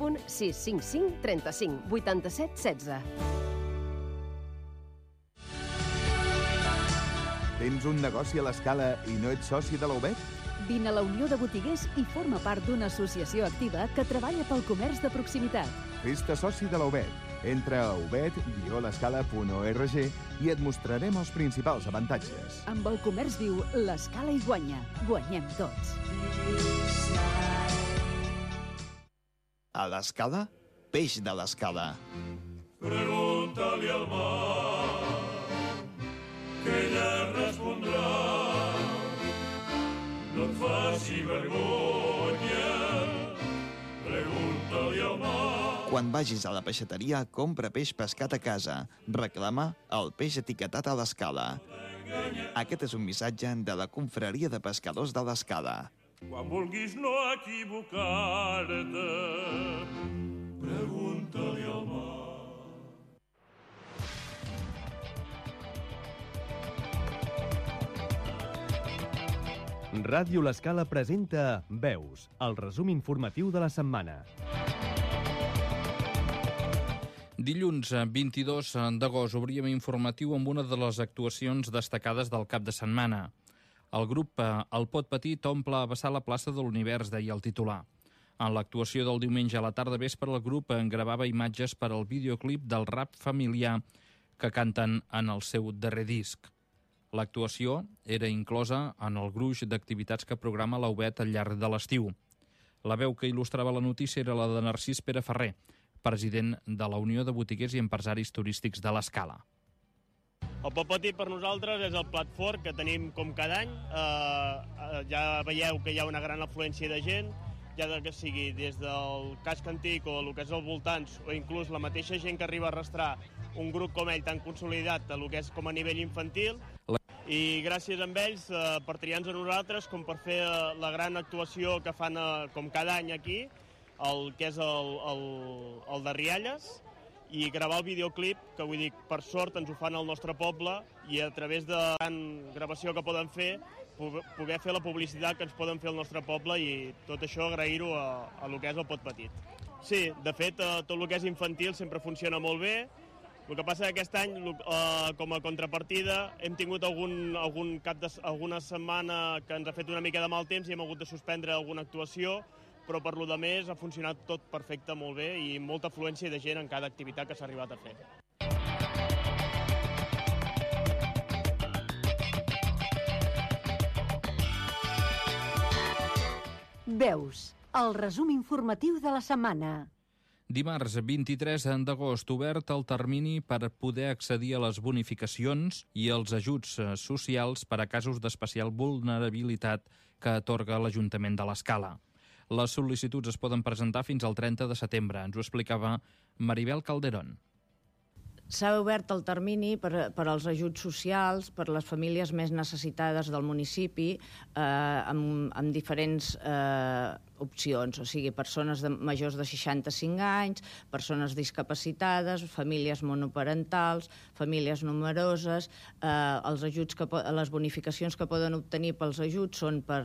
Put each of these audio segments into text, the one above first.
Telèfon 655 35 87 16. Tens un negoci a l'Escala i no ets soci de la UBET? Vine a la Unió de Botiguers i forma part d'una associació activa que treballa pel comerç de proximitat. Fes-te soci de la UBET. Entra a ubet-l'escala.org i et mostrarem els principals avantatges. Amb el comerç viu, l'Escala hi guanya. Guanyem tots. A l'Escala, peix de l'Escala. Pregunta-li al mar, que ella respondrà. No et faci vergonya, pregunta-li al mar. Quan vagis a la peixateria, compra peix pescat a casa. Reclama el peix etiquetat a l'Escala. Aquest és un missatge de la Confraria de Pescadors de l'Escala. Quan vulguis no equivocar-te, pregunta-li al mar. Ràdio L'Escala presenta Veus, el resum informatiu de la setmana. Dilluns 22 d'agost obríem informatiu amb una de les actuacions destacades del cap de setmana. El grup El Pot Petit omple a vessar la plaça de l'Univers, deia el titular. En l'actuació del diumenge a la tarda vespre, el grup gravava imatges per al videoclip del rap familiar que canten en el seu darrer disc. L'actuació era inclosa en el gruix d'activitats que programa la UBET al llarg de l'estiu. La veu que il·lustrava la notícia era la de Narcís Pere Ferrer, president de la Unió de Botiguers i Empresaris Turístics de l'Escala. El Pot Petit per nosaltres és el plat fort que tenim com cada any. Ja veieu que hi ha una gran afluència de gent, ja que sigui des del casc antic o el que és als voltants, o inclús la mateixa gent que arriba a arrastrar un grup com ell tan consolidat a el que és com a nivell infantil. I gràcies a ells per triar-nos a nosaltres com per fer la gran actuació que fan com cada any aquí, el que és el de Rialles, i gravar el videoclip, que vull dir, per sort ens ho fan al nostre poble, i a través de la gran gravació que poden fer, poder fer la publicitat que ens poden fer al nostre poble, i tot això agrair-ho a lo que és el Pot Petit. Sí, de fet, tot el que és infantil sempre funciona molt bé. El que passa que aquest any, com a contrapartida, hem tingut alguna setmana que ens ha fet una mica de mal temps i hem hagut de suspendre alguna actuació, però per lo de més ha funcionat tot perfecte, molt bé, i molta afluència de gent en cada activitat que s'ha arribat a fer. Veus, el resum informatiu de la setmana. Dimarts 23 d'agost, obert el termini per poder accedir a les bonificacions i els ajuts socials per a casos d'especial vulnerabilitat que atorga l'Ajuntament de l'Escala. Les sol·licituds es poden presentar fins al 30 de setembre, ens ho explicava Maribel Calderón. S'ha obert el termini per als ajuts socials, per les famílies més necessitades del municipi, amb diferents opcions, o sigui, persones majors de 65 anys, persones discapacitades, famílies monoparentals, famílies numeroses. Els ajuts les bonificacions que poden obtenir pels ajuts són per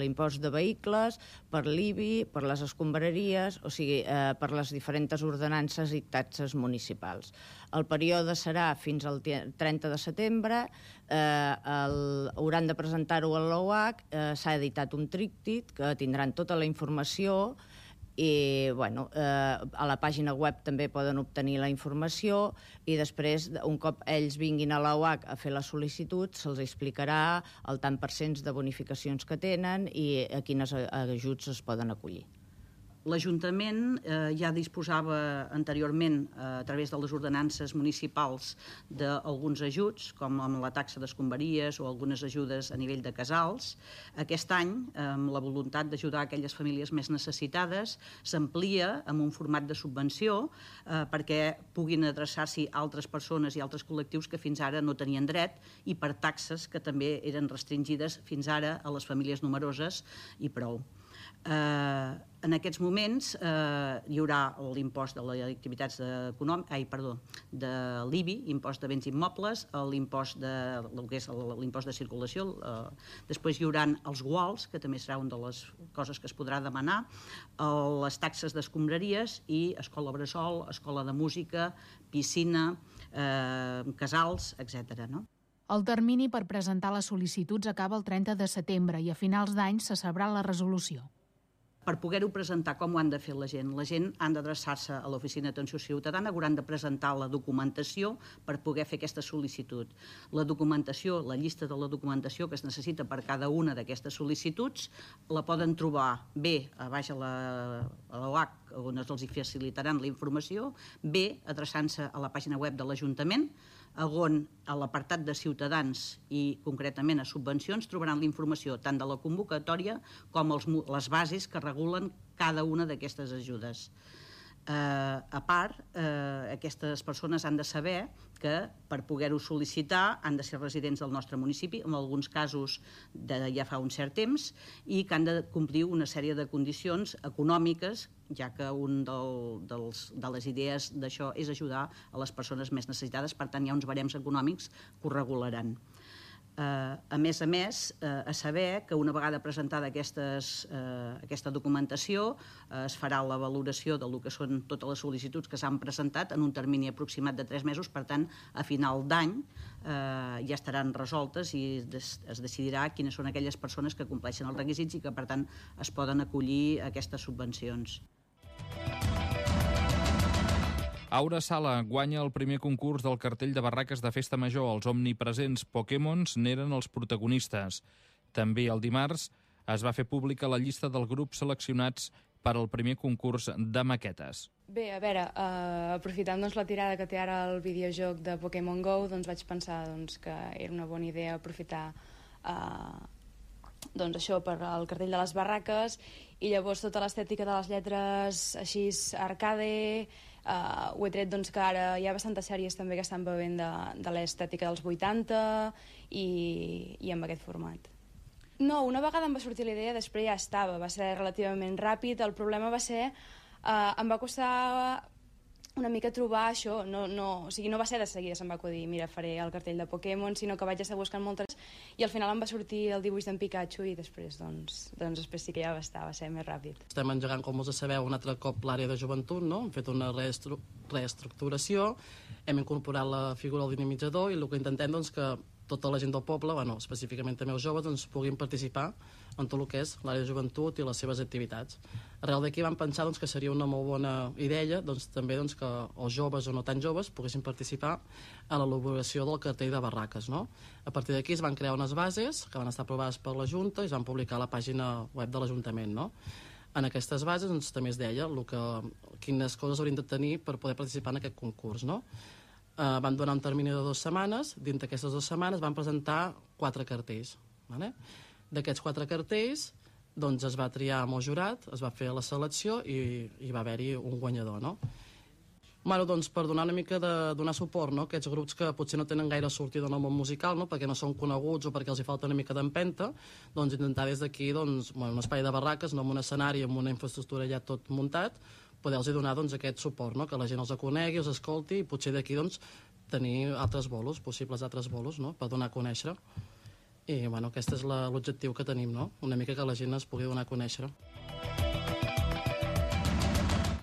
l'impost de vehicles, per l'IBI, per les escombraries, o sigui, per les diferents ordenances i taxes municipals. El període serà fins al 30 de setembre, hauran de presentar-ho a l'OAC, s'ha editat un tríptic que tindran tota la informació i a la pàgina web també poden obtenir la informació i després, un cop ells vinguin a l'OAC a fer la sol·licitud, se'ls explicarà el tant per cent de bonificacions que tenen i a quines ajuts es poden acollir. L'Ajuntament ja disposava anteriorment, a través de les ordenances municipals, d'alguns ajuts, com amb la taxa d'escombraries o algunes ajudes a nivell de casals. Aquest any, amb la voluntat d'ajudar aquelles famílies més necessitades, s'amplia amb un format de subvenció perquè puguin adreçar-s'hi altres persones i altres col·lectius que fins ara no tenien dret i per taxes que també eren restringides fins ara a les famílies numeroses i prou. En aquests moments hi haurà l'impost de les activitats de l'IBI, impost de béns immobles, l'impost de circulació, després hi haurà els guals, que també serà una de les coses que es podrà demanar, les taxes d'escombraries i escola bressol, escola de música, piscina, casals, etc. El termini per presentar les sol·licituds acaba el 30 de setembre i a finals d'any se sabrà la resolució. Per poder-ho presentar, com ho han de fer la gent? La gent han d'adreçar-se a l'Oficina d'Atenció Ciutadana, hauran de presentar la documentació per poder fer aquesta sol·licitud. La documentació, la llista de la documentació que es necessita per cada una d'aquestes sol·licituds, la poden trobar bé a baix a l'OAC, on els facilitaran la informació, bé adreçant-se a la pàgina web de l'Ajuntament, on a l'apartat de Ciutadans i concretament a subvencions trobaran la informació tant de la convocatòria com les bases que regulen cada una d'aquestes ajudes. A part, aquestes persones han de saber que per poder-ho sol·licitar han de ser residents del nostre municipi, en alguns casos ja fa un cert temps, i que han de complir una sèrie de condicions econòmiques, ja que una de les idees d'això és ajudar a les persones més necessitades, per tant hi ha uns barems econòmics que ho regularan. A més, a saber que una vegada presentada aquesta documentació es farà la valoració del que són totes les sol·licituds que s'han presentat en un termini aproximat de 3 mesos, per tant, a final d'any ja estaran resoltes i es decidirà quines són aquelles persones que compleixen els requisits i que, per tant, es poden acollir a aquestes subvencions. Aura Sala guanya el primer concurs del cartell de barraques de Festa Major. Els omnipresents Pokémons n'eren els protagonistes. També el dimarts es va fer pública la llista del grup seleccionats per al primer concurs de maquetes. Bé, a veure, aprofitant la tirada que té ara el videojoc de Pokémon GO, vaig pensar que era una bona idea aprofitar això per al cartell de les barraques, i llavors tota l'estètica de les lletres així arcade, ho he tret que ara hi ha bastantes sèries també que estan bevent de l'estètica dels 80 i amb aquest format. No, una vegada em va sortir la idea, després ja estava, va ser relativament ràpid. El problema va ser, em va costar una mica trobar això, o sigui, no va ser de seguida, se'm va acudir, mira, faré el cartell de Pokémon, sinó que vaig estar buscant moltes, i al final em va sortir el dibuix d'en Pikachu, i després, després sí que ja va ser més ràpid. Estem engegant, com us sabeu, un altre cop l'àrea de joventut, no? Hem fet una reestructuració, hem incorporat la figura del dinamitzador, i el que intentem és que tota la gent del poble, específicament també els joves, puguin participar en tot el que és l'àrea de joventut i les seves activitats. Arrel d'aquí vam pensar que seria una molt bona idea també que els joves o no tan joves poguessin participar a l'elaboració del cartell de barraques. A partir d'aquí es van crear unes bases que van estar aprovades per la Junta i es van publicar a la pàgina web de l'Ajuntament. En aquestes bases també es deia quines coses haurien de tenir per poder participar en aquest concurs. Van donar un termini de 2 setmanes, dins d'aquestes 2 setmanes van presentar 4 cartells. D'aquests 4 cartells es va triar amb el jurat, es va fer la selecció i va haver-hi un guanyador. Per donar una mica de donar suport a aquests grups que potser no tenen gaire sortida en el món musical, perquè no són coneguts o perquè els hi falta una mica d'empenta, intentar des d'aquí un espai de barraques, amb un escenari, amb una infraestructura ja tot muntat, poder-los donar aquest suport, que la gent els conegui, els escolti i potser d'aquí tenir possibles altres bolos per donar a conèixer. I aquest és l'objectiu que tenim, una mica que la gent es pugui donar a conèixer.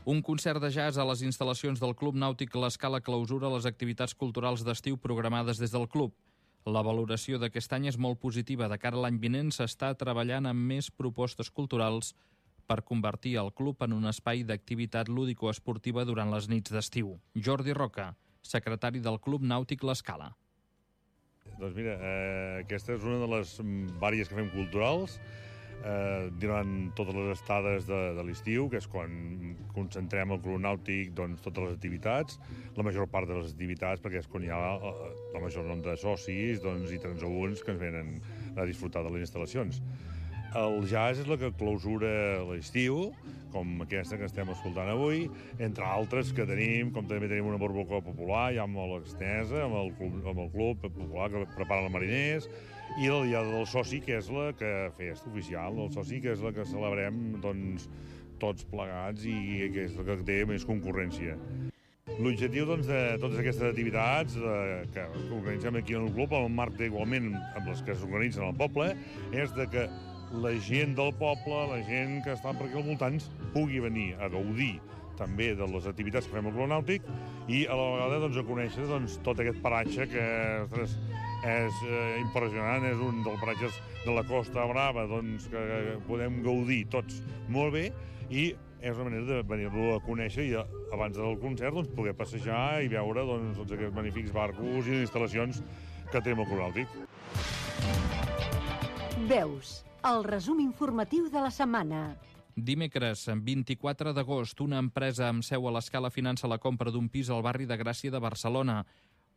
Un concert de jazz a les instal·lacions del Club Nàutic L'Escala clausura les activitats culturals d'estiu programades des del club. La valoració d'aquest any és molt positiva. De cara a l'any vinent s'està treballant amb més propostes culturals per convertir el club en un espai d'activitat lúdico-esportiva durant les nits d'estiu. Jordi Roca, secretari del Club Nàutic L'Escala. Doncs mira, aquesta és una de les vàries que fem culturals durant totes les estades de l'estiu, que és quan concentrem al Club Nàutic totes les activitats, la major part de les activitats, perquè és quan hi ha el major nombre de socis i transaünts que ens venen a disfrutar de les instal·lacions. El jazz és la que clausura l'estiu, com aquesta que estem escoltant avui, entre altres que tenim, com també tenim una barbacoa popular, ja molt extensa, amb el club popular que preparen els mariners, i la diada del soci, que és la festa oficial del soci, que és la que celebrem doncs, tots plegats i que és la que té més concurrència. L'objectiu de totes aquestes activitats que organitzem aquí en el club, en el marc igualment amb les que s'organitzen al poble, és que la gent del poble, la gent que està per aquí al voltant, pugui venir a gaudir també de les activitats que fem al Club Nàutic i a la vegada a conèixer tot aquest paratge que és impressionant, és un dels paratges de la Costa Brava que podem gaudir tots molt bé i és una manera de venir-lo a conèixer i abans del concert poder passejar i veure tots aquests magnífics barcos i instal·lacions que tenim al Club Nàutic. Veus, el resum informatiu de la setmana. Dimecres, 24 d'agost, una empresa amb seu a l'Escala finança la compra d'un pis al barri de Gràcia de Barcelona.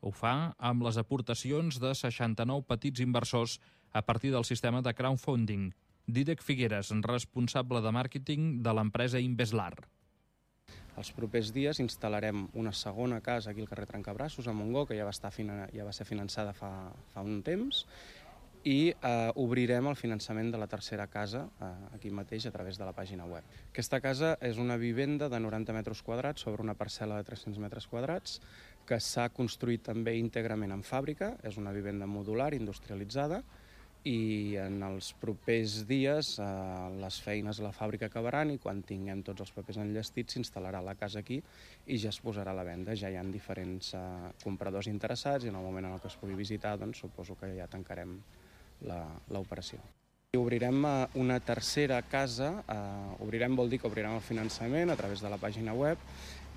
Ho fa amb les aportacions de 69 petits inversors a partir del sistema de crowdfunding. Dídac Figueres, responsable de màrqueting de l'empresa Inveslar. Els propers dies instal·larem una segona casa aquí al carrer Trencabrassos, a Montgó, que ja va ser finançada fa un temps, i obrirem el finançament de la tercera casa aquí mateix a través de la pàgina web. Aquesta casa és una vivenda de 90 metres quadrats sobre una parcel·la de 300 metres quadrats que s'ha construït també íntegrament en fàbrica, és una vivenda modular, industrialitzada, i en els propers dies les feines a la fàbrica acabaran i quan tinguem tots els papers enllestits s'instal·larà la casa aquí i ja es posarà a la venda. Ja hi ha diferents compradors interessats i en el moment en què es pugui visitar suposo que ja tancarem l'operació. Obrirem una tercera casa, obrirem vol dir que obrirem el finançament a través de la pàgina web,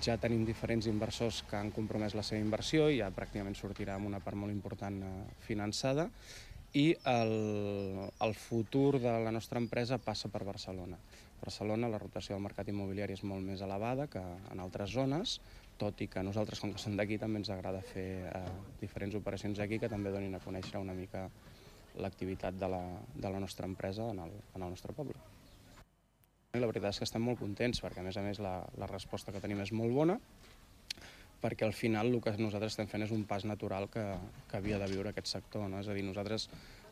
ja tenim diferents inversors que han compromès la seva inversió i ja pràcticament sortirà amb una part molt important finançada i el futur de la nostra empresa passa per Barcelona. A Barcelona la rotació del mercat immobiliari és molt més elevada que en altres zones, tot i que nosaltres, com que som d'aquí, també ens agrada fer diferents operacions aquí que també donin a conèixer una mica l'activitat de la nostra empresa en el nostre poble. La veritat és que estem molt contents perquè, a més, la resposta que tenim és molt bona perquè al final el que nosaltres estem fent és un pas natural que havia de viure aquest sector. No? És a dir, nosaltres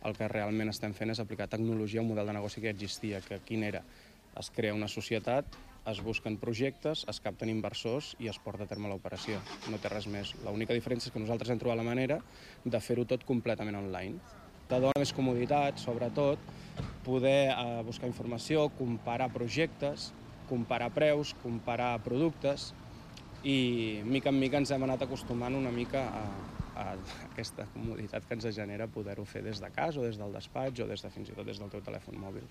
el que realment estem fent és aplicar tecnologia a un model de negoci que existia, que quin era? Es crea una societat, es busquen projectes, es capten inversors i es porta a terme l'operació. No té res més. L'única diferència és que nosaltres hem trobat la manera de fer-ho tot completament online. Te dona més comoditat, sobretot, poder buscar informació, comparar projectes, comparar preus, comparar productes i mica en mica ens hem anat acostumant una mica a aquesta comoditat que ens genera poder-ho fer des de casa o des del despatx o fins i tot des del teu telèfon mòbil.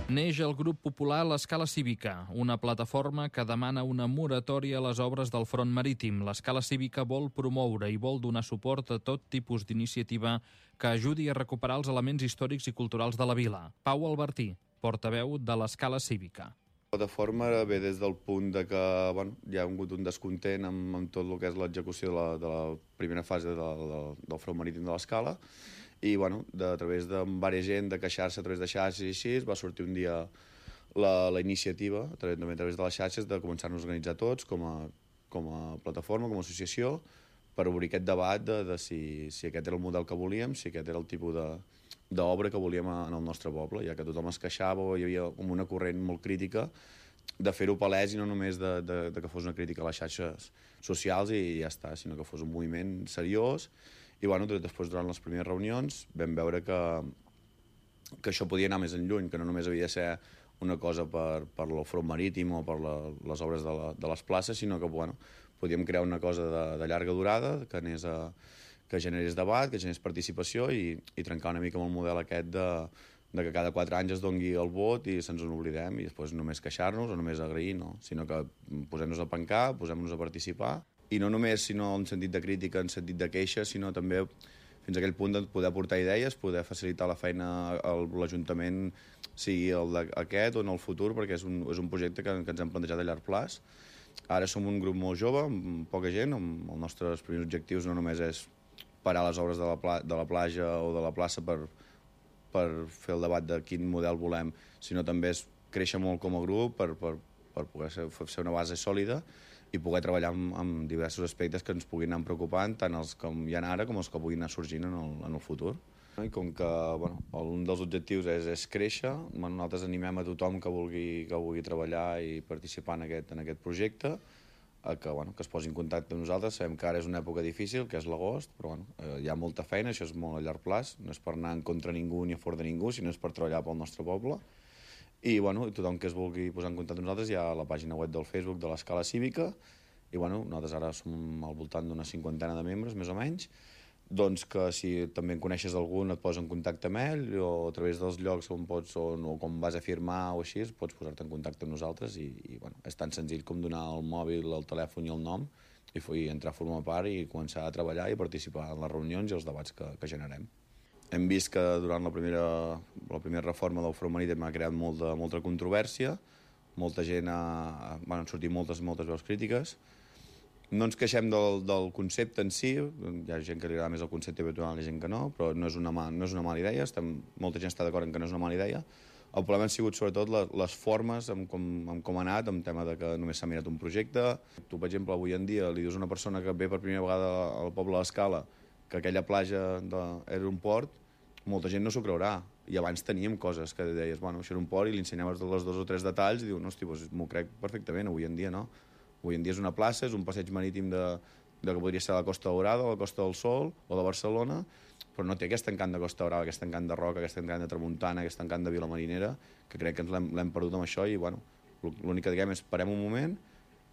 Neix el grup popular l'Escala Cívica, una plataforma que demana una moratòria a les obres del front marítim. L'Escala Cívica vol promoure i vol donar suport a tot tipus d'iniciativa que ajudi a recuperar els elements històrics i culturals de la vila. Pau Albertí, portaveu de l'Escala Cívica. La plataforma ve des del punt de que hi ha hagut un descontent amb tot el que és l'execució de la primera fase del front marítim de l'Escala i a través de diversa gent de queixar-se a través de xarxes i així va sortir un dia la iniciativa a través de les xarxes de començar-nos a organitzar tots com a plataforma, com a associació per obrir aquest debat de si aquest era el model que volíem, si aquest era el tipus d'obra que volíem en el nostre poble, ja que tothom es queixava o hi havia una corrent molt crítica de fer-ho palès i no només de que fos una crítica a les xarxes socials i ja està, sinó que fos un moviment seriós. I després, durant les primeres reunions, vam veure que això podia anar més enlluny, que no només havia de ser una cosa per el front marítim o per les obres de les places, sinó que podíem crear una cosa de llarga durada, que generés debat, que generés participació i trencar una mica amb el model aquest de que cada 4 anys es doni el vot i se'ns en oblidem i després només queixar-nos o només agrair, no, sinó que posem-nos a pencar, posem-nos a participar. I no només en sentit de crítica, en sentit de queixa, sinó també fins a aquell punt de poder aportar idees, poder facilitar la feina a l'Ajuntament, sigui aquest o en el futur, perquè és un projecte que ens hem plantejat a llarg plaç. Ara som un grup molt jove, amb poca gent, amb els nostres primers objectius no només és parar les obres de la platja o de la plaça per fer el debat de quin model volem, sinó també és créixer molt com a grup per poder ser una base sòlida i poder treballar amb diversos aspectes que ens puguin anar preocupant, tant els que hi ha ara com els que puguin anar sorgint en el futur. I com que un dels objectius és créixer, nosaltres animem a tothom que vulgui treballar i participar en aquest projecte, que es posi en contacte amb nosaltres. Sabem que ara és una època difícil, que és l'agost, però hi ha molta feina, això és molt a llarg plaç, no és per anar en contra ningú ni a favor de ningú, sinó és per treballar pel nostre poble. I tothom que es vulgui posar en contacte amb nosaltres, hi ha la pàgina web del Facebook de l'Escala Cívica, i nosaltres ara som al voltant d'una 50 de membres, més o menys, doncs que si també en coneixes algun et posa en contacte amb ell, o a través dels llocs on pots, o com vas a firmar o així, pots posar-te en contacte amb nosaltres i és tan senzill com donar el mòbil, el telèfon i el nom i entrar a formar part i començar a treballar i participar en les reunions i els debats que generem. Hem vist que durant la primera reforma del Front Marítim ha creat molta controvèrsia, molta gent han sortit moltes veus crítiques. No ens queixem del concepte en si, hi ha gent que li agrada més el concepte habitual i gent que no, però no és una mala idea, molta gent està d'acord en que no és una mala idea. El problema han sigut sobretot les formes, com ha anat, en tema de que només s'ha mirat un projecte. Tu, per exemple, avui en dia li dius a una persona que ve per primera vegada al poble de l'Escala que aquella platja era un port, molta gent no s'ho creurà. I abans teníem coses que deies, això era un port i li ensenyaves els 2 o 3 detalls i diu, no, hosti, m'ho crec perfectament, avui en dia no. Avui en dia és una plaça, és un passeig marítim que podria ser la Costa Daurada, la Costa del Sol o de Barcelona, però no té aquest encant de Costa Brava, aquest encant de Roca, aquest encant de Tramuntana, aquest encant de Vilamarinera, que crec que ens l'hem perdut amb això i l'únic que diguem és parem un moment,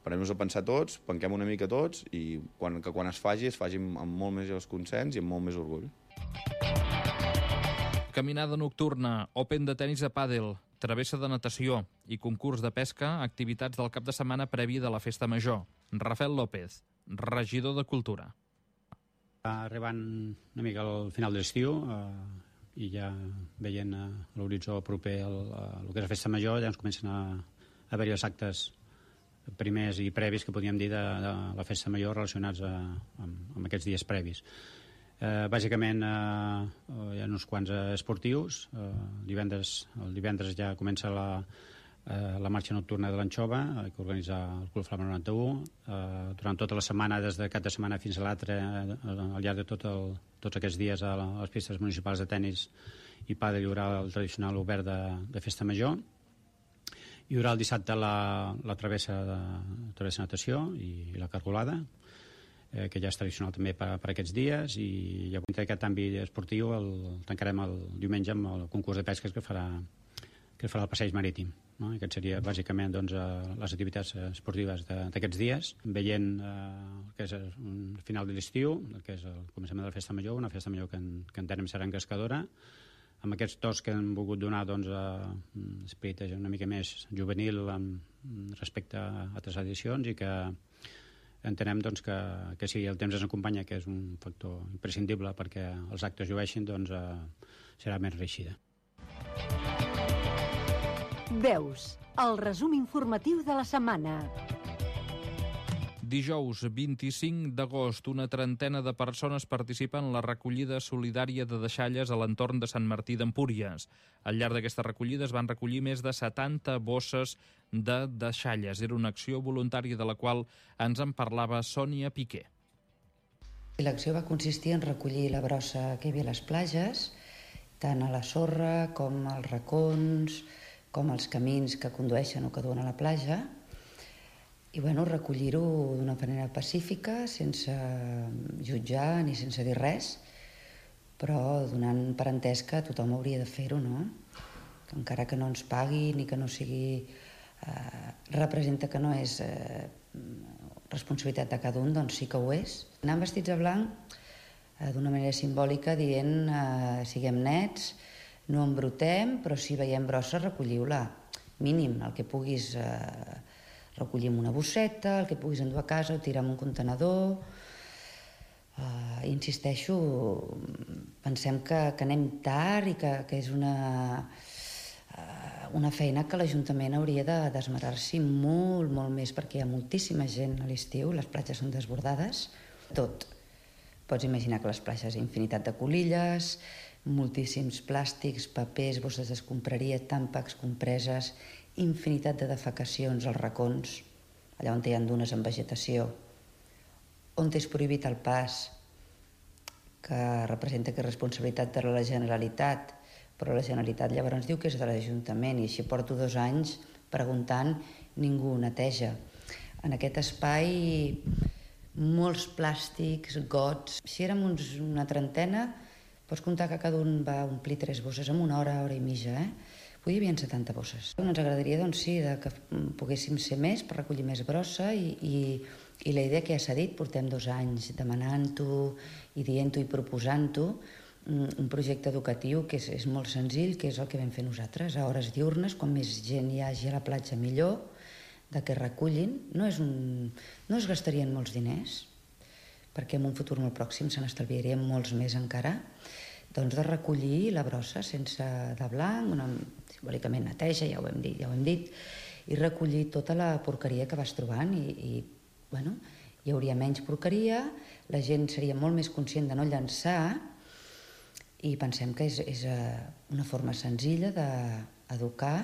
parem-nos a pensar tots, penquem una mica tots i que quan es faci amb molt més consens i amb molt més orgull. Caminada nocturna, Open de tenis a pàdel, travessa de natació i concurs de pesca, activitats del cap de setmana previ de la Festa Major. Rafael López, regidor de Cultura. Arribant una mica al final de l'estiu i ja veient l'horitzó proper al que és la Festa Major, ja ens comencen a haver-hi els actes primers i previs que podríem dir de la Festa Major relacionats amb aquests dies previs. Bàsicament hi ha uns quants esportius. El divendres ja comença la marxa nocturna de l'Anxova que organitza el Club Flama 91. Durant tota la setmana, des de cap de setmana fins a l'altre, al llarg de tots aquests dies a les pistes municipals de tenis i pàdel hi haurà el tradicional obert de Festa Major. Hi haurà el dissabte la travessa natació i la cargolada, que ja és tradicional també per aquests dies, i ja dintre d'aquest àmbit esportiu tancarem el diumenge amb el concurs de pesques que farà el passeig marítim. Aquest seria bàsicament les activitats esportives d'aquests dies, veient el que és un final de l'estiu, el que és el començament de la Festa Major, una Festa Major que entenem serà engrescadora, amb aquests tocs que hem volgut donar esperit una mica més juvenil respecte a altres edicions i que entenem que si el temps ens acompanya, que és un factor imprescindible perquè els actes llueixin, serà més reeixida. Veus, el resum informatiu de la setmana. Dijous 25 d'agost, una trentena de persones participen en la recollida solidària de deixalles a l'entorn de Sant Martí d'Empúries. Al llarg d'aquesta recollida es van recollir més de 70 bosses de deixalles. Era una acció voluntària de la qual ens en parlava Sònia Piqué. L'acció va consistir en recollir la brossa que hi havia a les platges, tant a la sorra com als racons, com als camins que condueixen o que duen a la platja, i recollir-ho d'una manera pacífica, sense jutjar ni sense dir res, però donant per entès que tothom hauria de fer-ho, no? Que encara que no ens pagui ni que no sigui... representa que no és responsabilitat de cada un, doncs sí que ho és. Anant vestits de blanc d'una manera simbòlica dient siguem nets, no embrutem, però si veiem brossa recolliu-la. Mínim, el que puguis recollir amb una bosseta, el que puguis endur a casa o tirar en un contenedor. Insisteixo, pensem que anem tard i que és una feina que l'Ajuntament hauria d'esmerar-s'hi molt més, perquè hi ha moltíssima gent a l'estiu, les platges són desbordades. Tot. Pots imaginar que les platges infinitat de colilles, moltíssims plàstics, papers, bosses d'escombraria, tàmpacs, compreses, infinitat de defecacions als racons, allà on hi ha dunes en vegetació, on és prohibit el pas, que representa que és responsabilitat de la Generalitat, però la Generalitat llavors diu que és de l'Ajuntament i així porto 2 anys preguntant, ningú neteja. En aquest espai, molts plàstics, gots. Si érem una trentena, pots comptar que cada un va omplir 3 bosses en una hora i mitja, Avui hi havia 70 bosses. Ens agradaria, que poguéssim ser més per recollir més brossa i la idea que ja s'ha dit, portem 2 anys demanant-ho i dient-ho i proposant-ho, un projecte educatiu que és molt senzill, que és el que vam fer nosaltres, a hores diurnes, quan més gent hi hagi a la platja millor, de que recullin. No es gastarien molts diners, perquè en un futur molt pròxim se n'estalviarien molts més encara, doncs de recollir la brossa sense de blanc, simbòlicament neteja, ja ho hem dit, i recollir tota la porqueria que vas trobant i hi hauria menys porqueria, la gent seria molt més conscient de no llançar i pensem que és una forma senzilla d'educar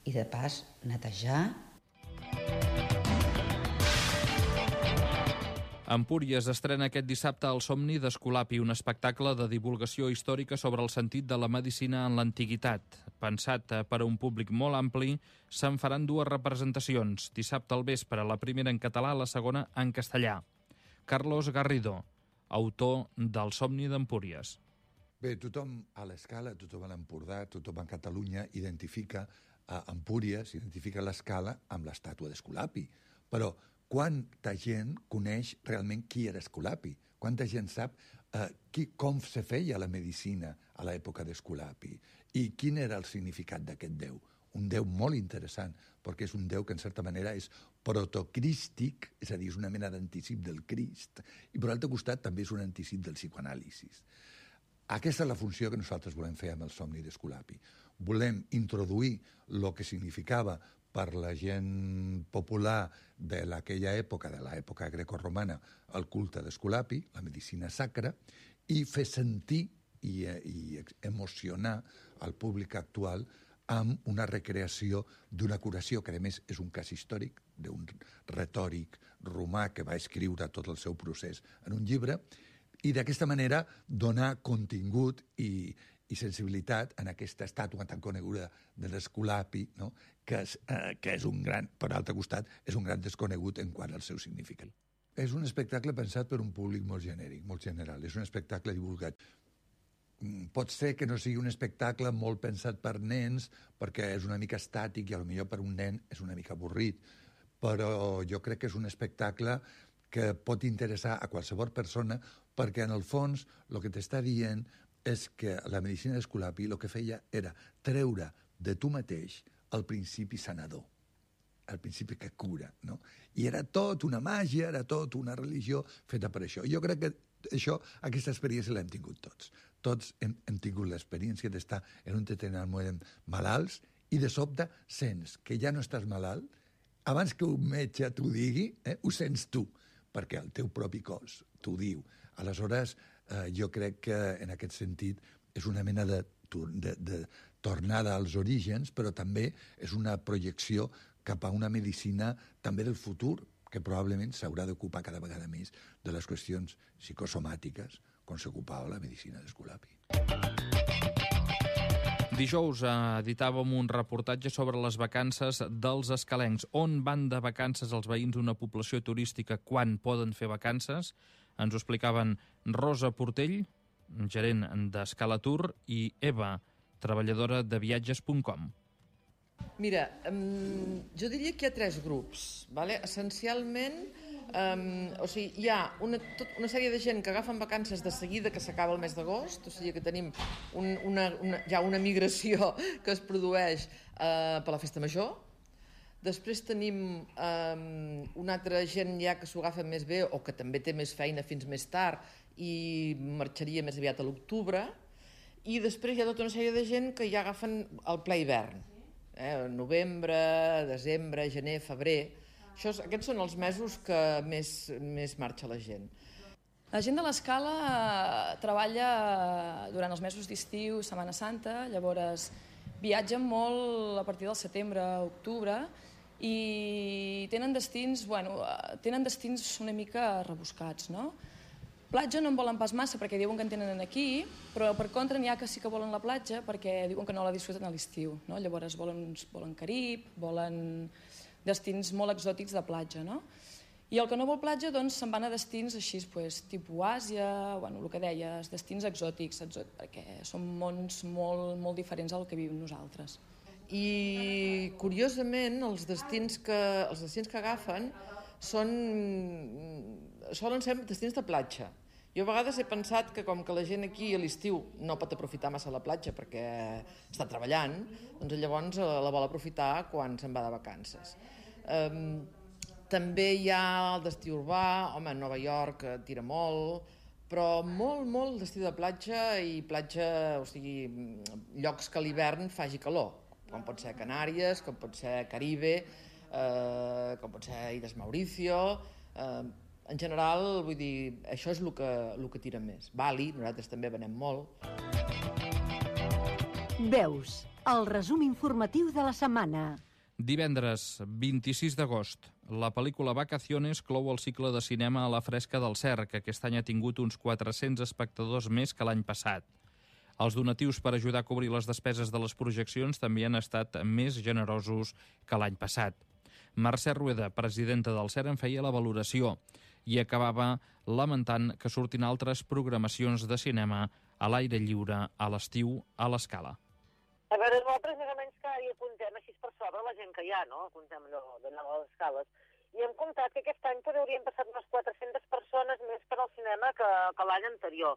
i de pas netejar. Empúries estrena aquest dissabte El somni d'Esculapi, un espectacle de divulgació històrica sobre el sentit de la medicina en l'antiguitat. Pensat per a un públic molt ampli, se'n faran 2 representacions. Dissabte al vespre, la primera en català, la segona en castellà. Carlos Garrido, autor del somni d'Empúries. Bé, tothom a l'Escala, tothom a l'Empordà, tothom a Catalunya identifica Empúries, identifica l'Escala amb l'estàtua d'Esculapi. Però quanta gent coneix realment qui era Esculapi? Quanta gent sap com se feia la medicina a l'època d'Esculapi? I quin era el significat d'aquest déu? Un déu molt interessant, perquè és un déu que en certa manera és protocrístic, és a dir, és una mena d'anticip del Crist, i per l'altre costat també és un anticip del psicoanàlisis. Aquesta és la funció que nosaltres volem fer amb el somni d'Esculapi. Volem introduir el que significava per la gent popular d'aquella època, de l'època grecorromana, el culte d'Esculapi, la medicina sacra, i fer sentir i emocionar el públic actual amb una recreació d'una curació, que a més és un cas històric, d'un retòric romà que va escriure tot el seu procés en un llibre, i d'aquesta manera donar contingut i sensibilitat en aquesta estàtua tan coneguda de l'Esculapi, no? que és un gran, per l'altre costat, és un gran desconegut en quant al seu significat. És un espectacle pensat per un públic molt genèric, molt general. És un espectacle divulgat. Pot ser que no sigui un espectacle molt pensat per nens, perquè és una mica estàtic i potser per un nen és una mica avorrit, però jo crec que és un espectacle que pot interessar a qualsevol persona, perquè en el fons el que t'està dient és que la medicina d'Esculapi el que feia era treure de tu mateix el principi sanador, el principi que cura, no? I era tot una màgia, era tot una religió feta per això. Jo crec que aquesta experiència l'hem tingut tots. Tots hem tingut l'experiència d'estar en un determinat moment malalts i de sobte sents que ja no estàs malalt, abans que un metge t'ho digui, ho sents tu, perquè el teu propi cos t'ho diu. Aleshores, jo crec que en aquest sentit és una mena de tornada als orígens, però també és una projecció cap a una medicina també del futur, que probablement s'haurà d'ocupar cada vegada més de les qüestions psicosomàtiques, com s'ocupava la medicina d'Esculapi. Dijous editàvem un reportatge sobre les vacances dels escalencs. On van de vacances els veïns d'una població turística quan poden fer vacances? Ens ho explicaven Rosa Portell, gerent d'Escalatur, i Eva, treballadora de viatges.com. Mira, jo diria que hi ha 3 grups. Essencialment, hi ha una sèrie de gent que agafen vacances de seguida que s'acaba el mes d'agost, o sigui que tenim ja una migració que es produeix per la festa major. Després tenim una altra gent ja que s'ho agafa més bé o que també té més feina fins més tard i marxaria més aviat a l'octubre. I després hi ha tota una sèrie de gent que ja agafen el ple hivern. Novembre, desembre, gener, febrer. Aquests són els mesos que més marxa la gent. La gent de l'Escala treballa durant els mesos d'estiu, Setmana Santa, llavors viatgen molt a partir del setembre, octubre, i tenen destins una mica rebuscats, no? Platja no en volen pas massa perquè diuen que en tenen aquí, però per contra n'hi ha que sí que volen la platja perquè diuen que no la disfruten a l'estiu, no? Llavors volen Carib, volen destins molt exòtics de platja, no? I el que no vol platja, doncs, se'n van a destins així, tipus Àsia, el que deies, destins exòtics, perquè són mons molt diferents al que vivim nosaltres. I, curiosament, els destins que agafen solen ser destins de platja. Jo a vegades he pensat que com que la gent aquí a l'estiu no pot aprofitar massa la platja perquè està treballant, doncs llavors la vol aprofitar quan se'n va de vacances. També hi ha el destí urbà, Nova York tira molt, però molt destí de platja i platja, o sigui, llocs que a l'hivern faci calor, com pot ser Canàries, com pot ser Caribe, com pot ser Illes Mauricio. En general, vull dir, això és el que tira més. Bali, nosaltres també venem molt. Veus, el resum informatiu de la setmana. Divendres, 26 d'agost, la pel·lícula Vacaciones clou el cicle de cinema a la Fresca del Cer, que aquest any ha tingut uns 400 espectadors més que l'any passat. Els donatius per ajudar a cobrir les despeses de les projeccions també han estat més generosos que l'any passat. Mercè Rueda, presidenta del Cer, en feia la valoració i acabava lamentant que surtin altres programacions de cinema a l'aire lliure a l'estiu a l'Escala. A veure, nosaltres més o menys cada dia apuntem així per sobre la gent que hi ha, no? Apuntem allò d'anar a les escales. I hem comptat que aquest any haurien passat unes 400 persones més per al cinema que l'any anterior.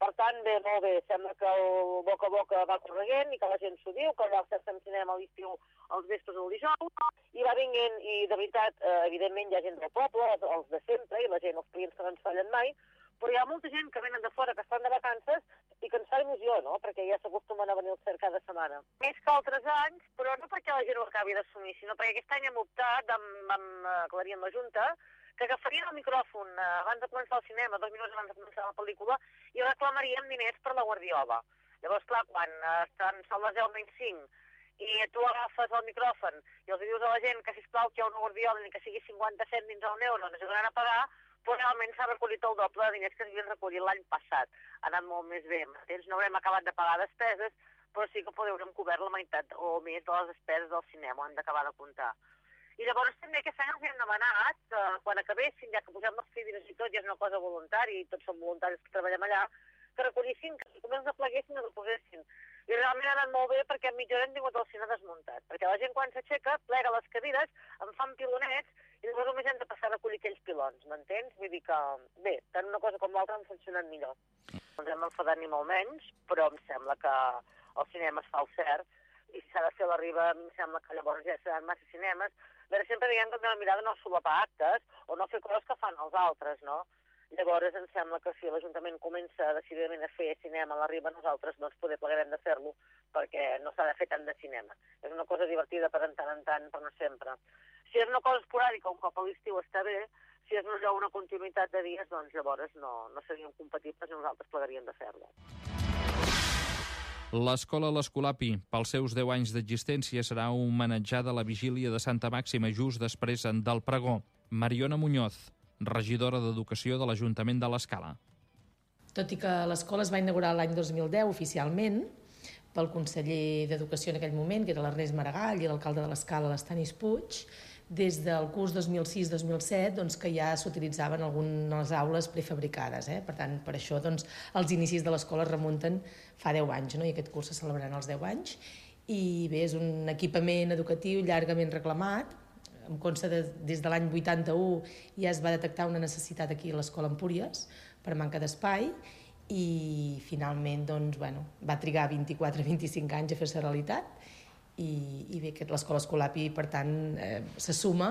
Per tant, molt bé, sembla que el boca a boca va correguent i que la gent s'ho diu, que allà fem cinema a l'estiu els vespres o el dijous, i va vinguent, i de veritat, evidentment hi ha gent del poble, els de sempre, i la gent, els clients que no ens fallen mai, però hi ha molta gent que venen de fora, que estan de vacances, i que ens fa il·lusió, no?, perquè ja s'acostumen a venir al Cer cada setmana. Més que altres anys, però no perquè la gent ho acabi d'assumir, sinó perquè aquest any hem optat, amb Clarín la Junta, que agafarien el micròfon abans de començar el cinema, 2 minuts abans de començar la pel·lícula, i reclamaríem diners per la Guardiola. Llavors, clar, quan són les 10:05 i tu agafes el micròfon i els dius a la gent que, sisplau, que hi ha una Guardiola ni que sigui 50 cèntims o €1, ens ajudaran a pagar, però realment s'ha recollit el doble de diners que s'havien recollit l'any passat. Ha anat molt més bé. No haurem acabat de pagar despeses, però sí que haurem cobert la meitat o més de les despeses del cinema, hem d'acabar de comptar. I llavors també aquest any els hem demanat que quan acabessin, ja que posem les fibres i tot, ja és una cosa voluntària i tots som voluntaris que treballem allà, que recollissin, que com els apleguessin els posessin. I realment ha anat molt bé perquè en mitja hora hem tingut el cine desmuntat, perquè la gent quan s'aixeca plega les cadires, en fan pilonets i llavors només hem de passar a recollir aquells pilons, m'entens? Vull dir que, bé, tant una cosa com l'altra han funcionat millor. No ens hem enfadat ni molt menys, però em sembla que el cinema es fa al cert i si s'ha de fer la riba em sembla que llavors ja seran massa cinemes. A veure, sempre diguem que hem de mirar de no solapar actes o no fer coses que fan els altres, no? Llavors em sembla que si l'Ajuntament comença decididament a fer cinema a la riba, nosaltres doncs poder plegarem de fer-lo perquè no s'ha de fer tant de cinema. És una cosa divertida per tant en tant, però no sempre. Si és una cosa esporàdica, un cop a l'estiu està bé, si és una continuïtat de dies, doncs llavors no serien compatibles i nosaltres plegaríem de fer-lo. L'escola L'Escolapi, pels seus 10 anys d'existència, serà homenatjada a la vigília de Santa Màxima just després del pregó. Mariona Muñoz, regidora d'Educació de l'Ajuntament de l'Escala. Tot i que l'escola es va inaugurar l'any 2010 oficialment, pel conseller d'Educació en aquell moment, que era l'Ernest Maragall, i l'alcalde de l'Escala, l'Estanis Puig, des del curs 2006-2007 doncs, que ja s'utilitzaven algunes aules prefabricades. Per tant, per això doncs, els inicis de l'escola es remunten fa 10 anys, no? I aquest curs se celebraran els 10 anys. I bé, és un equipament educatiu llargament reclamat. Em consta des de l'any 81 ja es va detectar una necessitat aquí a l'Escola Empúries per manca d'espai i finalment doncs, va trigar 24-25 anys a fer-se realitat i bé, que l'Escola Escolapi, per tant, se suma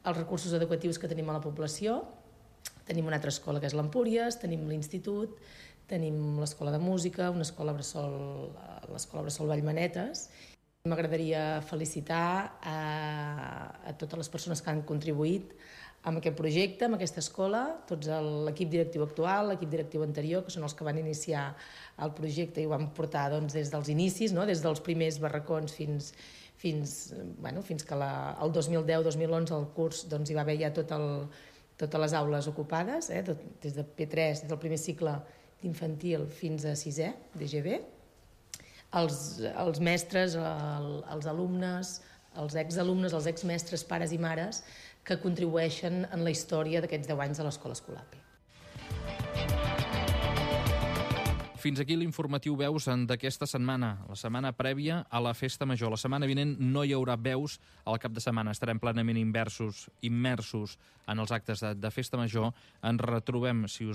als recursos educatius que tenim a la població. Tenim una altra escola que és l'Empúries, tenim l'institut, tenim l'escola de música, una escola bressol, l'escola bressol Vallmanetes. M'agradaria felicitar a totes les persones que han contribuït amb aquest projecte, amb aquesta escola, tot l'equip directiu actual, l'equip directiu anterior, que són els que van iniciar el projecte i ho van portar des dels inicis, des dels primers barracons fins que el 2010-2011 el curs hi va haver ja totes les aules ocupades, des de P3, des del primer cicle d'infantil fins a 6è, d'EGB. Els mestres, els alumnes, els exalumnes, els exmestres, pares i mares, que contribueixen en la història d'aquests 10 anys de l'Escola Escolapi. Fins aquí l'informatiu Veus d'aquesta setmana, la setmana prèvia a la Festa Major. La setmana vinent no hi haurà Veus al cap de setmana. Estarem plenament immersos en els actes de Festa Major. Ens retrobem, si us